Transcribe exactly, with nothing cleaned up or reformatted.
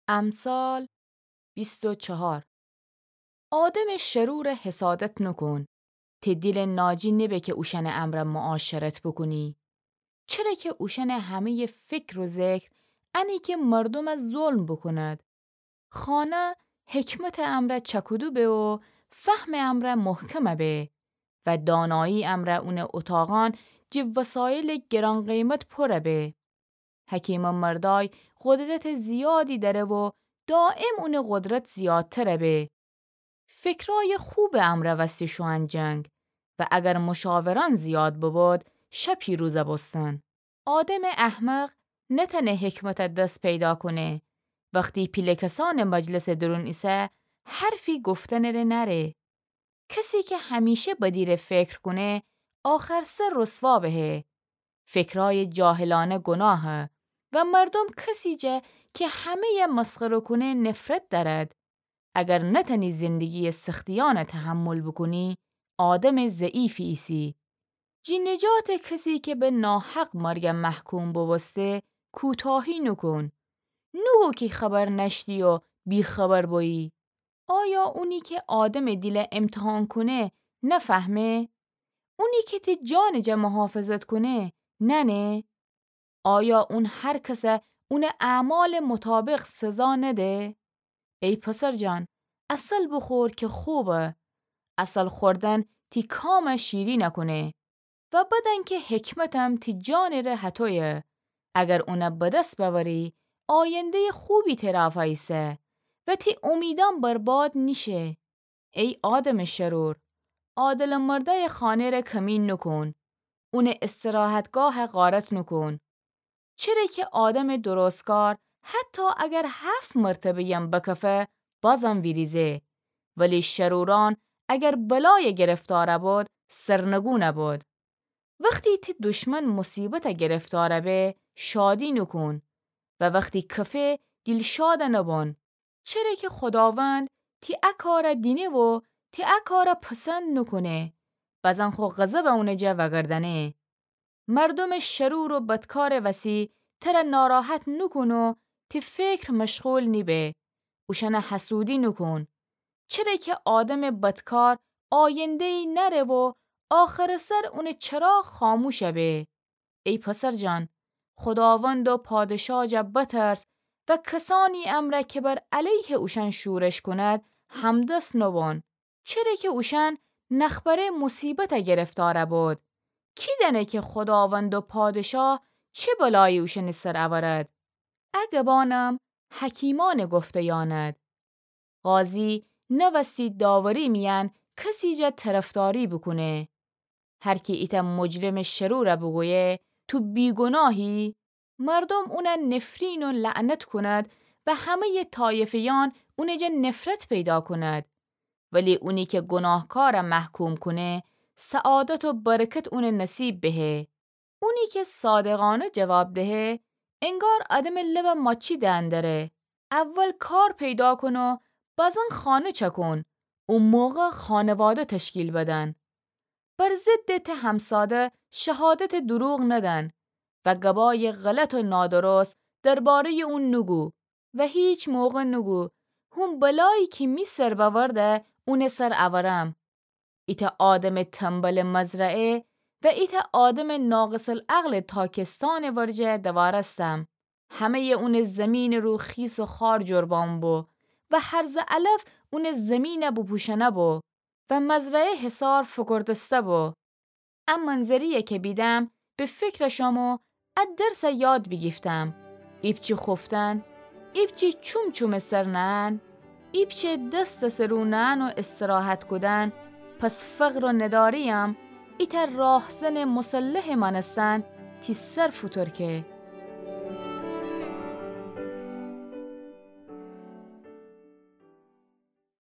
امثال بیست و چهار. آدمٚ شرورَ حسادت نوکون. تی دیلٚ ناجی نبه که اوشأنٚ امرأ معاشرت بوکونی. چره که اوشأنٚ همه‌یٚ فکر و ذکر انه که مردومَ ظلم بوکوند. خانه حکمتٚ امرأ چکودو به و فهمٚ امرأ محکم به و دانایی امرأ اونٚ اتاقأن جٚه وسایلٚ گران‌قیمت پر به. حکیمٚ مردأی قدرتٚ زیادی دأره و دایم اونٚ قدرت زیادتر به. فکرأیٚ خوبٚ امرأ وستی شوئن جنگ و اگر مشاورأن زیاد ببود، شه پیروز بوستن. آدمٚ احمق نتأنه حکمتَ دس پیدا کونه. وختی پیله کسأنٚ مجلسٚ درون ایسه، حرفی گفتنٚ ره نأره. کسی که همیشه بدی ره فکر کونه، آخر سر رسوا بهه. فکرأیٚ جاهلأنه گناهه و مردوم کسی جا که همه‌یَ مسخره کونه نفرت دأرد. اگر نتأنی زندگی‌یٚ سختیأنَ تحمل بوکونی، آدمٚ ضعیفی ایسی. جٚه نجاتٚ کسی که به ناحق مرگَ محکوم بوبوسته، کوتاهی نوکون. نوگو کی خبر نأشتی و بی‌خبر بویی. آیا اونی که آدمٚ دیلَ امتحان کونه نفهمه؟ اونی که تی جانٚ جا محافظت کونه نأنه؟ آیا اون هر کسَ اونٚ اعمالٚ مطابق سزا نده؟ ای پسر جان، عسل بوخور که خوبه. عسل خوردن تی کامَ شیرینَ کونه. و بدأن که حکمتم تی جانٚ ره هتویه. اگر اونَ به دس بأوری، آینده‌یٚ خوبی ترافا ایسه و تی امیدأن برباد نیشه. ای آدمٚ شرور، عادلٚ مردأیٚ خانه ره کمی نوکون. اونٚ استراحتگاهَ غارت نوکون. چره که آدمٚ درستکار حتی اگر هفت مرتبه‌یم بکفه، بازم ویریزه. ولی شرورأن اگر بلایَ گرفتار بود، سرنگون بود. وختی تی دشمن مصیبتَ گرفتار به، شادی نوکون و وختی کفه، دیلشادَ نبون. چره که خوداوند تی ا کارَ دینه و تی ا کارَ پسند نوکونه، بزن خو غضبَ اونٚ جا وأگردأنه. مردومٚ شرور و بدکارٚ وسی ترَ ناراحت نوکون و تی فکر مشغول نیبه. اوشأنَ حسودی نوکون. چره که آدمٚ بدکار آینده‌یی نأره و آخرٚ سر اونٚ چراغ خاموشَ به. ای پسر جان، خوداوند و پادشا جا بترس و کسأنی امرأ که بر علیه اوشأن شورش کند، همدست نوبون. چره که اوشأن نخبره مصیبتَ گرفتار بود. کی دأنه که خوداوند و پادشا چه بلایی اوشأنٚ سر اورد؟ ا گبأنم حکیمأنٚ گفته‌یأند. قاضی نوستی داوری میأن کسی جا طرفداری بوکونه. هر کی ایتأ مجرمٚ شرورَ بوگویه، تو بیگناهی، مردوم اونَ نفرین و لعنت کند و همه‌یٚ طایفه‌یأن اونٚ جا نفرت پیدا کند. ولی اونی که گناهکارَ محکوم کونه، سعادت و برکت اونَ نصیب بهه. اونی که صادقأنه جواب دهه، انگار آدمٚ لبَ ماچی دأندره. اول کار پیدا کون و بزن خانه چکون، او موقع خانواده تشکیل بدن. بر ضدٚ ته همساده شهادتٚ دروغ ندن و گبایٚ غلط و نادرست درباره‌یٚ اون نوگو و هیچ موقع نوگو، هون بلایی که می سر بأورده، اونٚ سر اورم. ایتأ آدمٚ تنبلٚ مزرعه و ایتأ آدمٚ ناقص‌العقلٚ تاکستانٚ ورجه دوارستم. همه‌یٚ اونٚ زیمینٚ رو خیس و خار جور بامو بو و هرزٚ علف اونٚ زیمینَ بوپوشأنه بو و مزرعه حصار فوکوردسته بو. ا منظری‌یَ که بیدم، به فکر شم و ا درسَ یاد بیگیفتم. ایپچه خوفتن، ایپچه چومچومٚ سر نهن، ایپچه دس دسٚ رو نهن و استراحت کودن، پس فقر و نداری‌یم ایتأ راهزنٚ مسلحٚ مأنستن تی سر فوتورکه.